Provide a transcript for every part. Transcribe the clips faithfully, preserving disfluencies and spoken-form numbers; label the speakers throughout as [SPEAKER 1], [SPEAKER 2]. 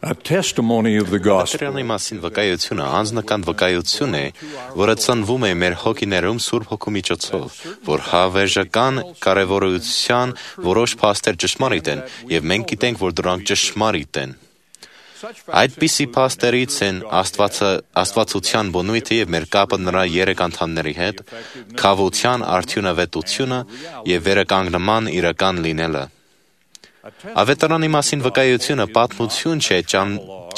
[SPEAKER 1] A testimony of the gospel.
[SPEAKER 2] Կատարյալի մասին վկայությունը անձնական վկայություն է, որը ծնվում է մեր հոգիներում Սուրբ Հոգու միջոցով, որ հավերժական կարևորության որոշ փաստեր ճշմարիտ են, եւ մենք գիտենք, որ դրանք ճշմարիտ են։ Այդպիսի փաստերից են Աստվածը, Աստվածության բնույթը եւ մեր կապը նրա երեք անդամների հետ, քավության արդյունավետությունը եւ վերականգնման իրական լինելը։ Ավետարանի մասին վկայությունը պատմություն չէ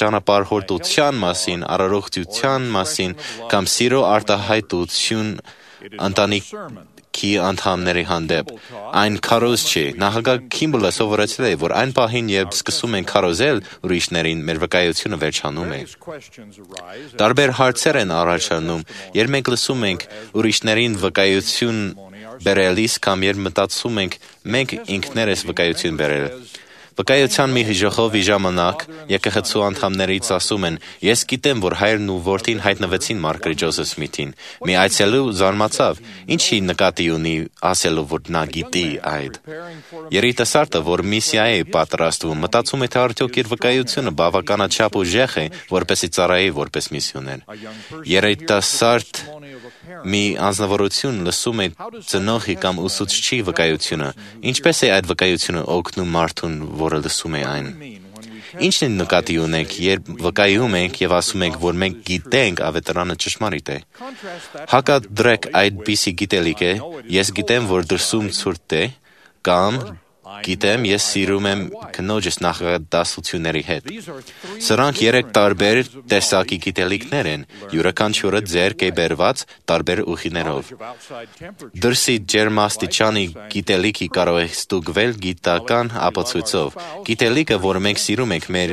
[SPEAKER 2] ճանապարհորդության մասին, արարողջության մասին կամ սիրո արտահայտություն ընտանիքի անդամների հանդեպ։ Այն քարոզ չէ։ Նախագահ Քիմբլը սովորեցրել է, որ այն պահին, երբ սկսում ենք քարոզել ուրիշներին, մեր վկայությունը վերջանում է։ Տարբեր հարցեր են առաջանում, երբ մենք լսում ենք ուրիշներին վկայություն բերելիս կամ երբ մտածում ենք մենք ինքներս վկայություն բերել։ Վկայության մի ժողովի ժամանակ եկեղեցու անդամներից ասում են. «Ես գիտեմ, որ հայրն ու որդին հայտնվեցին Մարգարիտ Ջոզեֆ Սմիթին»։ Մի այցելու զարմացավ. «Ինչի նկատի ունի ասելով, որ նա գիտի այդ»։ Երիտասարդը, որ միսիա է պատրաստվում, մտածում է, թե արդյոք իր վկայությունը բավականաչափ ուժեղ է, որպեսզի ծառայի որպես միսիոներ։ Երիտասարդ մի անձնավորություն լսում է ծնողի կամ ուսուցչի վկայությունը, ինչպես է այդ վկայությունը օգնում մարդուն, որը լսում է այն։ Ինչն է նկատի ունենք, երբ վկայում ենք եւ ասում ենք, որ մենք գիտենք ավետարանը ճշմարիտ է։ Հակադրեք այդպիսի գիտելիք է, ես գիտեմ, որ դրսում ցուրտ է, կամ գիտեմ, ես սիրում եմ քնոջս նախադասությունների հետ։ Սրանք երեք տարբեր տեսակի գիտելիքներ են, յուրաքանչյուրը ձեռք է բերված տարբեր ուղիներով։ Դրսի ջերմաստիճանի գիտելիքի կարող է ստուգվել գիտական ապացույցով։ Գիտելիքը, որ մենք սիրում ենք, մեր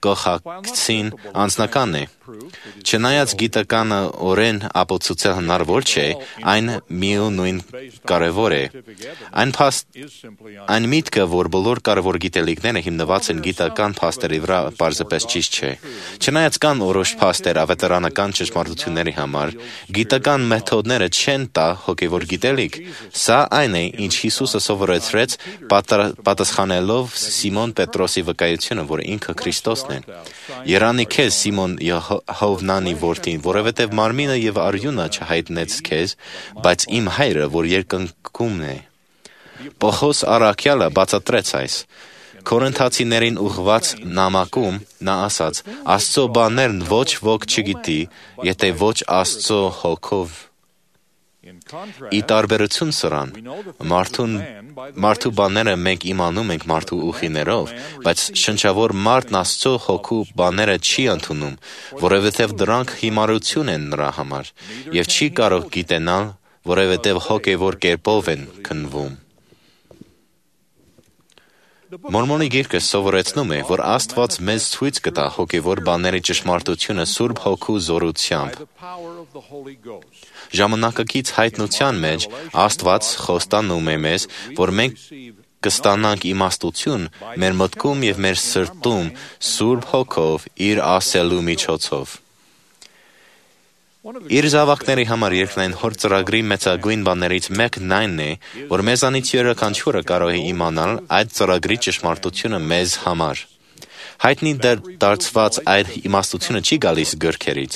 [SPEAKER 2] կողակցին անձնական է։ Չնայած գիտականը օրեն ապացուցել հնարավոր չէ, այն միևնույն կարևոր է։ Այն փաստ, այն միտքը, որ բոլոր կարևոր գիտելիքները հիմնված են գիտական փաստերի վրա, պարզապես ճիշտ չէ։ Չնայած կան որոշ փաստեր ավետարանական ճշմարտությունների համար, գիտական մեթոդները չեն տա հոգևոր գիտելիք։ Սա այն է, ինչ Հիսուսը սովորեցրեց պատասխանելով Սիմոն Պետրոսի վկայությունը, որ ինքը Քրիստոսն է։ Երանի քեզ, Սիմոն Հովնանի որդին, որովհետև մարմինը եւ արյունը չհայտնեց քեզ, բայց իմ հայրը, որ երկնքում է։ Պողոս առաքյալը բացատրեց այս։ Կորինթացիներին ուղղված նամակում նա ասաց. «Աստծո բաներն ոչ ոք չգիտի, եթե ոչ Աստծո հոգով»։ Ի տարբերություն սրան, մարդուն, մարդու բաները մենք իմանում ենք մարդու ուղիներով, բայց շնչավոր մարդն Աստծո հոգու բաները չի ընդունում, որովհետև դրանք հիմարություն են նրա համար, եւ չի կարող գիտենալ, որովհետև հոգևոր կերպով են քննվում։ Մորմոնի գիրքը սովորեցնում է, որ Աստված մեզ ցույց կտա հոգևոր բաների ճշմարտությունը Սուրբ Հոգու զորությամբ։ Ժամանակակից հայտնության մեջ Աստված խոստանում է մեզ, որ մենք կստանանք իմաստություն մեր մտքում եւ մեր սրտում Սուրբ Հոգով իր ասելու միջոցով։ Իր զավակների համար երկնային հոր ծրագրի մեծագույն բաներից մեկն այն է, որ մեզանից յուրաքանչյուրը կարող է իմանալ այդ ծրագրի ճշմարտությունը մեզ համար։ Հայտնի դարձված այդ իմաստությունը չի գալիս գրքերից,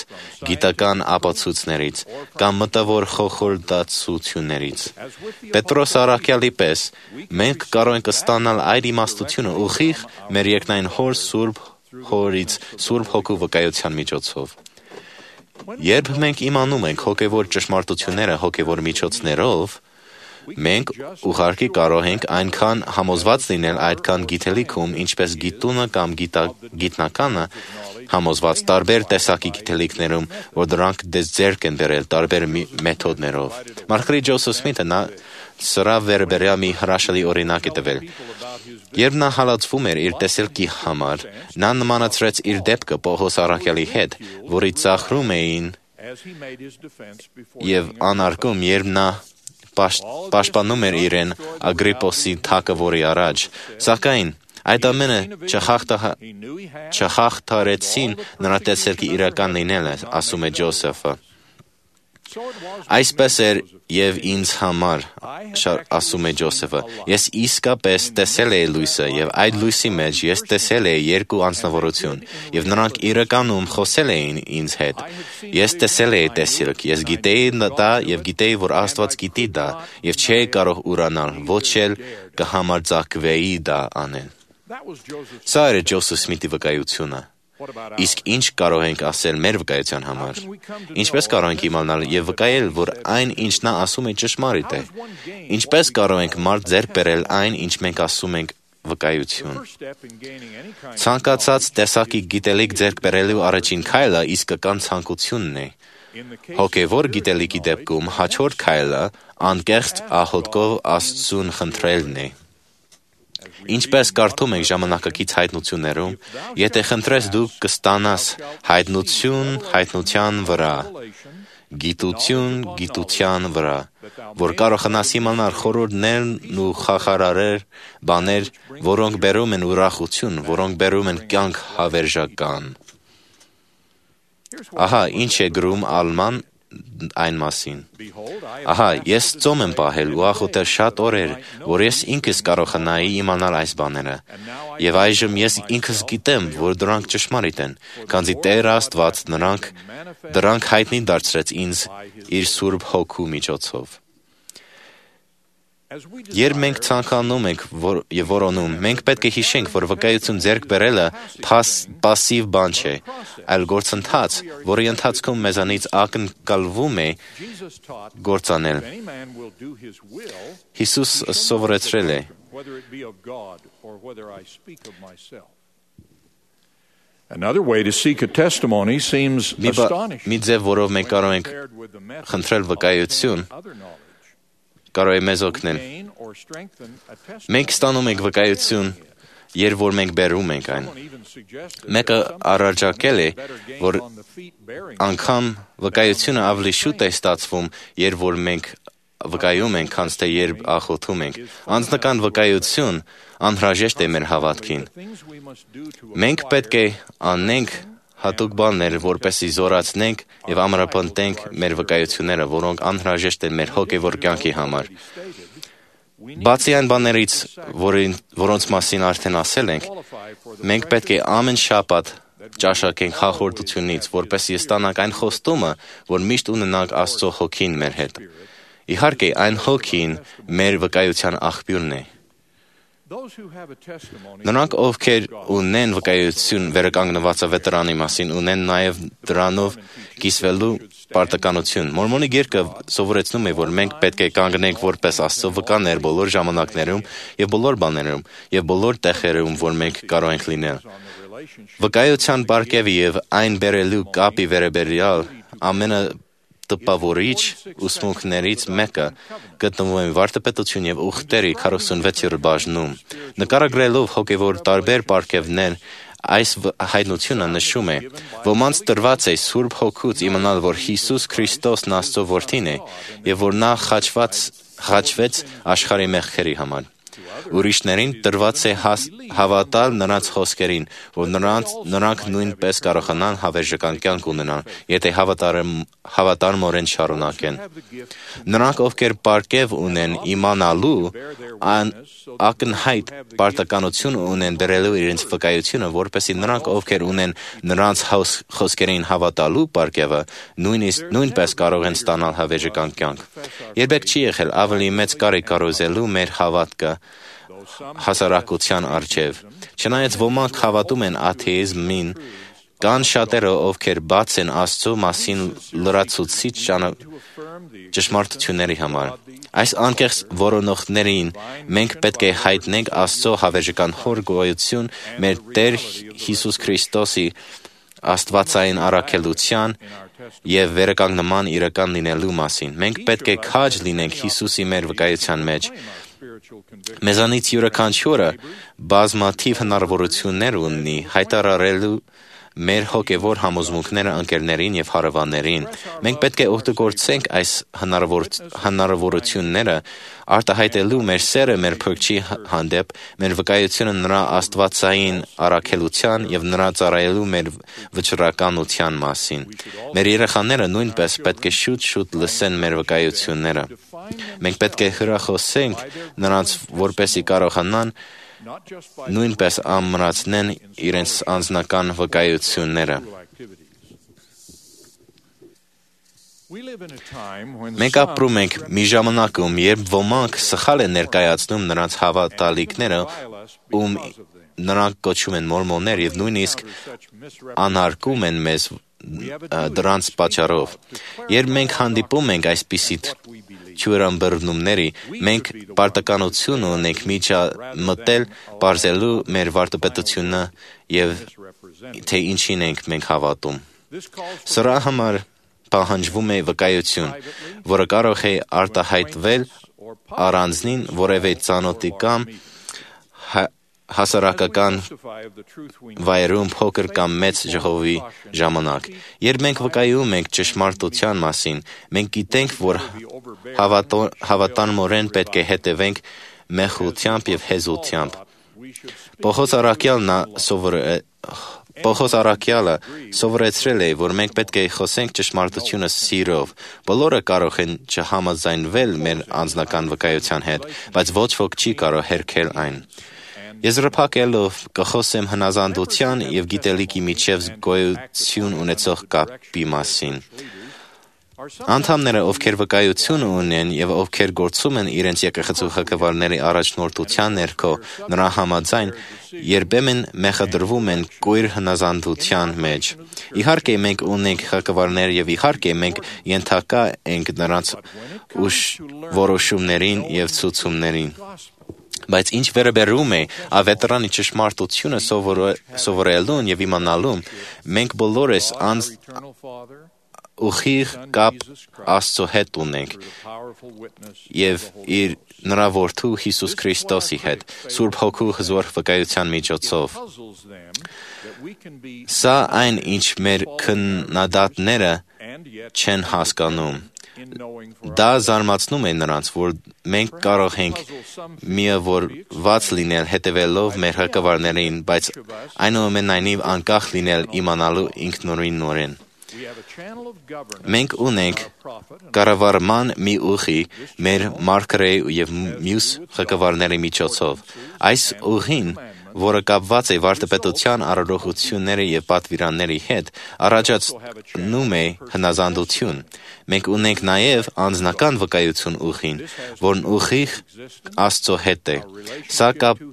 [SPEAKER 2] գիտական ապացույցներից կամ մտավոր խորհրդածություններից։ Պետրոս առաքյալի պես մենք կարող ենք ստանալ այդ իմաստությունը ուղիղ մեր երկնային հոր Սուրբ Հորից Սուրբ Հոգու վկայության միջոցով։ Երբ մենք իմանում ենք հոգևոր ճշմարտությունները հոգևոր միջոցներով, մենք ուղղակի կարող ենք այնքան համոզված լինել այդքան գիտելիքում, ինչպես գիտունը կամ գիտնականը համոզված տարբեր տեսակի գիտելիքներում, որ դրանք դες ձեռք են բերել տարբեր մեթոդներով։ Մարգարիտ Ջոզեֆ Սմիթը նա սրա վերաբերյալ մի հրաշալի օրինակ է տվել։ Երբ նա հալածվում էր իր տեսելքի համար, նա նմանացրեց իր դեպքը Պողոս առաքյալի հետ, որի ծաղրում էին եւ անարգում, երբ նա պաշտպանում էր իրեն Ագրիպոսի թագավորի առաջ, սակայն այդ ամենը չխախտարեցին նրա տեսելքի իրական լինելը, ասում է Ջոզեֆը։ Այսպես էր և ինձ համար, ասում է Ջոսեֆը, ես իսկապես տեսել էի լույսը, և այդ լույսի մեջ ես տեսել էի երկու անձնավորություն, և նրանք իրականում խոսել էին ինձ հետ։ Ես տեսել էի տեսիլք, ես գիտեի դա և գիտեի, որ Աստված գիտի դա, և չէի կարող ուրանալ, ոչ էլ կհամարձակվեի դա անել։ Սա էր Ջոսեֆ Սմիթի վկայությունը։ Իսկ ինչ կարող ենք ասել մեր վկայության համար։ Ինչպես կարող ենք իմանալ և վկայել, որ այն, ինչ նա ասում է, ճշմարիտ է։ Ինչպես կարող ենք մարդ ձեռք բերել այն, ինչ մենք ասում ենք վկայություն։ Ցանկացած տեսակի գիտելիք ձեռք բերելու առաջին քայլը իսկական ցանկությունն է։ Հոգևոր գիտելիքի դեպքում հաջորդ քայլը անկեղծ աղոթքով Աստծուն խնդրելն է։ Ինչպես կարդում ենք ժամանակակից հայտնություններում, եթե խնդրես դու կստանաս հայտնություն հայտնության վրա, գիտություն գիտության վրա, որ կարողանաս իմանալ խորհուրդներն ու խախարարեր բաներ, որոնք բերում են ուրախություն, որոնք բերում են կյանք հավերժական։ Ահա ինչ է գրում Ալման այն մասին։ Ահա, ես ծոմ եմ պահել ու աղոթել շատ օրեր, որ ես ինքս կարողանայի իմանալ այս բաները, և այժմ ես ինքս գիտեմ, որ դրանք ճշմարիտ են, քանզի Տեր Աստված նրանք դրանք հայտնի դարձրեց ինձ իր Սուրբ Հոգու միջոցով։ Երբ մենք ցանկանում ենք և որոնում, մենք պետք է հիշենք, որ վկայություն ձեռք բերելը պասիվ բան չէ, այլ գործընթաց, որի ընթացքում մեզանից ակնկալվում է գործանել։ Հիսուսը սովորեցրել է.
[SPEAKER 1] Another way to seek a testimony seems astonishing.
[SPEAKER 2] Մի ձև, որով մենք կարող ենք խնդրել վկայություն, կարող է մեզ օգնել։ Մենք ստանում ենք վկայություն, երբ որ մենք բերում ենք այն։ Մեկը առաջարկել է, որ անգամ վկայությունը ավելի շուտ է ստացվում, երբ որ մենք վկայում ենք, քան թե երբ աղոթում ենք։ Անձնական վկայություն անհրաժեշտ է մեր հավատքին։ Մենք պետք է անենք հատուկ բաներ, որպեսզի զորացնենք և ամրապնդենք մեր վկայությունները, որոնք անհրաժեշտ են մեր հոգևոր կյանքի համար։ Բացի այն բաներից, որոնց մասին արդեն ասել ենք, մենք պետք է ամեն շաբաթ ճաշակենք հաղորդությունից, որպեսզի ստանանք այն խոստումը, որ միշտ ունենանք Աստծո Հոգին մեր հետ։ Իհարկե, այն Հոգին մեր վկայության աղբյուրն է։ Նրանք, ովքեր ունեն վկայություն վերականգնված ավետարանի մասին, ունեն նաև դրանով կիսվելու պարտականություն։ Մորմոնի գիրքը սովորեցնում է, որ մենք պետք է կանգնենք որպես Աստծո վկաներ բոլոր ժամանակներում և բոլոր բաներում և բոլոր տեղերում, որ մենք կարող ենք լինել։ Վկայության պարգևի և այն բերելու կապի վերաբերյալ ամենը տպավորիչ ուսմունքներից մեկը գտնվում է վարդապետություն և ուխտերի քառասունվեցերորդ բաժնում։ Նկարագրելով հոգևոր տարբեր պարգևներ, այս հայտնությունը նշում է. ոմանց տրված է Սուրբ Հոգուց իմանալ, որ Հիսուս Քրիստոսն Աստծո Որդին է և որ նա խաչվեց աշխարհի մեղքերի համար։ Ուրիշներին տրված է հավատալ նրանց խոսքերին, որ նրանք նույնպես կարողանան հավերժական կյանք ունենալ, եթե հավատարմորեն շարունակեն։ Նրանք, ովքեր պարգև ունեն իմանալու, ակնհայտ պարտականություն ունեն դրելու իրենց վկայությունը, որպեսզի նրանք, ովքեր ունեն նրանց խոսքերին հավատալու պարգևը, նույնպես կարող են ստանալ հավերժական կյանք։ Երբեք չի եղել ավելի մեծ կարիք կարոզելու մեր հավատքը հասարակության առջև։ Չնայած ոմանք հավատում են աթեիզմին, կան շատերը, ովքեր բաց են Աստծո մասին լրացուցիչ ճշմարտությունների համար։ Այս անկեղծ որոնողներին մենք պետք է հայտնենք Աստծո հավերժական Հոր գոյություն մեր Տեր Հիսուս Քրիստոսի աստվածային առաքելության և վերականգնման իրական լինելու մասին։ Մենք պետք է քաջ լինենք Հիսուսի մեր վկայության մեջ։ Մեզանից յուրաքանչյուրը բազմաթիվ հնարավորություններ ունի հայտարարելու մեր հոգևոր համոզմունքները ընկերներին եւ հարևաններին։ Մենք պետք է օգտագործենք այս հնարավոր, հնարավորությունները արտահայտելու մեր սերը մեր Փրկչի հանդեպ, մեր վկայությունը նրա աստվածային առաքելության եւ նրա ծառայելու մեր վճռականության մասին։ Մեր երեխաները նույնպես պետք է շուտ-շուտ լսեն մեր վկայությունները։ Մենք պետք է հրախոսենք նրանց, որպեսզի կարողանան նույնպես ամրացնեն իրենց անձնական վկայությունները։ Մենք ապրում ենք մի ժամանակում, երբ ոմանք սխալ են ներկայացնում նրանց հավատալիքները, ում նրանք կոչում են մորմոններ եւ նույնիսկ անհարկում են մեզ դրանց պատճառով։ Երբ մենք հանդիպում ենք այսպիսի թյուրանբռնումների, մենք պարտականություն ունենք միջամտել պարզելու մեր վարդապետությունը եւ թե ինչին ենք մենք հավատում։ Սրա համար պահանջվում է վկայություն, որը կարող է արտահայտվել առանձնին որևէ ծանոթի կամ հասարակական վայրում փոքր կամ մեծ ժողովի ժամանակ։ Երբ մենք վկայում ենք ճշմարտության մասին, մենք գիտենք, որ հավատանմորեն պետք է հետևենք մեղությամբ եւ հեզությամբ։ Պողոս առաքյալն Պողոս առաքյալը սովորեցրել է, որ մենք պետք է խոսենք ճշմարտությունը սիրով։ Բոլորը կարող են չհամաձայնվել մեր անձնական վկայության հետ, բայց ոչ ոք չի կարող հերքել այն։ Եզրափակելով կխոսեմ հնազանդության եւ գիտելիքի միջև գոյություն ունեցող կապի մասին։ Անդամները, ովքեր վկայություն ունեն եւ ովքեր գործում են իրենց եկեղեցու ղեկավարների առաջնորդության ներքո, նրա համաձայն երբեմն մեղադրվում են կույր հնազանդության մեջ։ Իհարկե մենք ունենք ղեկավարներ եւ իհարկե մենք ենթակա ենք նրանց ուշ որոշումներին եւ ցուցումներին։ Բայց ինչ վերաբերում է ավետարանի ճշմարտությունը սովորելուն եւ իմանալուն, մենք բոլորս անձ ուղիղ կապ Աստծո հետ ունենք եւ իր նրա որդու Հիսուս Քրիստոսի հետ, Սուրբ Հոգու հզոր վկայության միջոցով։ Սա այն, ինչ մեր քննադատները չեն հասկանում։ Դա զարմացնում է նրանց, որ մենք կարող ենք միավորված լինել հետևելով մեր ղեկավարներին, բայց այնուամենայնիվ անկախ լինել իմանալու ինքնուրույնորեն։ Մենք ունենք կառավարման մի ուղի մեր մարգարեի եւ մյուս ղեկավարների միջոցով։ Այս ուղին, որը կապված է վարդապետության առողջությունների եւ պատվիրանների հետ, առաջացնում է հնազանդություն։ Մենք ունենք նաեւ անձնական վկայություն ուղին, որն ուղիղ Աստծո հետ է։ Սա կապ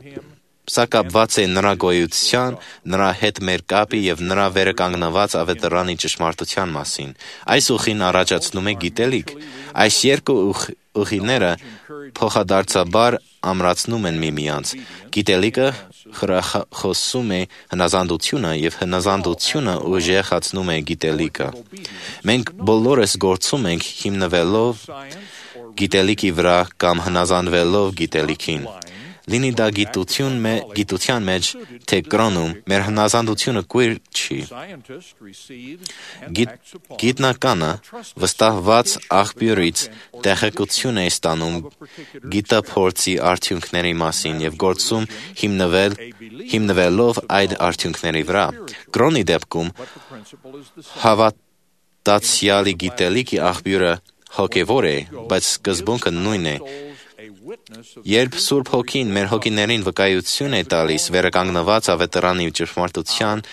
[SPEAKER 2] Սա կապված է նրա գոյության, նրա հետ մեր կապի եւ նրա վերականգնված ավետարանի ճշմարտության մասին։ Այս ուղին առաջացնում է գիտելիք։ Այս երկու ուղիները փոխադարձաբար ամրացնում են միմյանց։ Գիտելիքը խրախոսում է հնազանդությունը եւ հնազանդությունը ուժեղացնում է գիտելիքը։ Մենք բոլորս գործում ենք հիմնվելով գիտելիքի վրա կամ հնազանդվելով գիտելիքին։ Լինի դա գիտություն մե, գիտության մեջ, թե կրոնում, մեր հնազանդությունը կույր չի։ Գիտ, գիտնականը վստահված աղբյուրից տեղեկություն է ստանում գիտափորձի արդյունքների մասին եւ գործում հիմնվել, հիմնվելով այդ արդյունքների վրա։ Կրոնի դեպքում հավատացյալի գիտելիքի աղբյուրը հոգևոր է, բայց սկզբունքը նույնն է։ Երբ Սուրբ Հոգին մեր հոգիներին վկայություն է տալիս վերականգնված ավետարանի ճշմարտության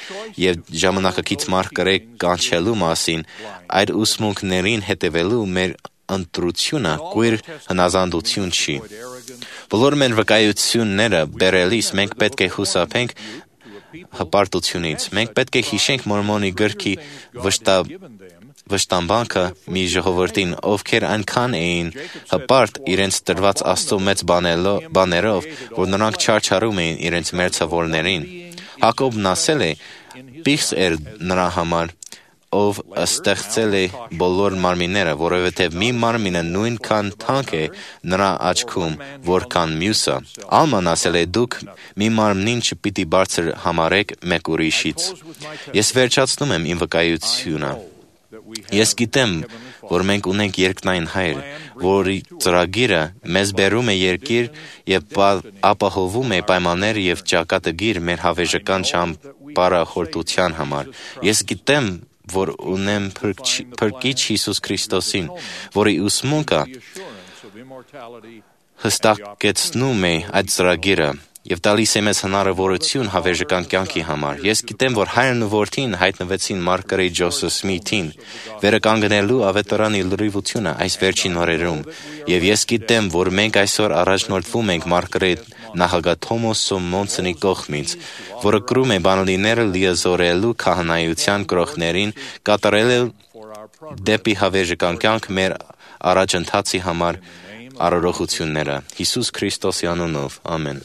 [SPEAKER 2] եւ ժամանակակից մարգարե կանչելու մասին, այդ ուսմունքներին հետևելու մեր ընտրությունը կույր հնազանդություն չի։ Բոլոր մեր վկայությունները բերելիս մենք պետք է հուսափենք հպարտությունից։ Մենք պետք է հիշենք Մորմոնի գրքի վշտապ վշտամբանքը մի ժողովրդին, ովքեր այնքան էին հպարտ իրենց տրված Աստծո մեծ բաներով, որ նրանք չարչարում էին իրենց մերձավորներին։ Հակոբն ասել է. «Պիղծ էր նրա համար, ով ստեղծել է բոլոր մարմինները, որովհետև մի մարմինը նույնքան թանկ է նրա աչքում, որքան մյուսը։ Ալման ասել է. «Դուք մի մարմնին չպիտի բարձր համարեք մեկ ուրիշից»։ Ես վերջացնում եմ իմ վկայությունը։ Ես գիտեմ, որ մենք ունենք երկնային Հայր, որի ծրագիրը մեզ բերում է երկիր և ապահովում է պայմաններ և ճակատագիր մեր հավերժական ճամփորդության համար։ Ես գիտեմ, որ ունեմ Փրկիչ Հիսուս Քրիստոսին, որի ուսմունքը հստակեցնում է այդ ծրագիրը և տալիս է մեզ հնարավորություն հավերժական կյանքի համար։ Ես գիտեմ, որ Հայրն ու Որդին հայտնվեցին Մարգարետ Ջոսեֆ Սմիթին վերականգնելու ավետարանի լրիվությունը այս վերջին օրերում, և ես գիտեմ, որ մենք այսօր առաջնորդվում ենք Մարգարետ նախագահ Թոմաս Մոնսոնի կողմից, որը կրում է բանալիները լիազորելու քահանայության կրողներին կատարել դեպի հավերժական կյանք մեր առաջընթացի համար արարողությունները։ Հիսուս Քրիստոսի անունով, ամեն։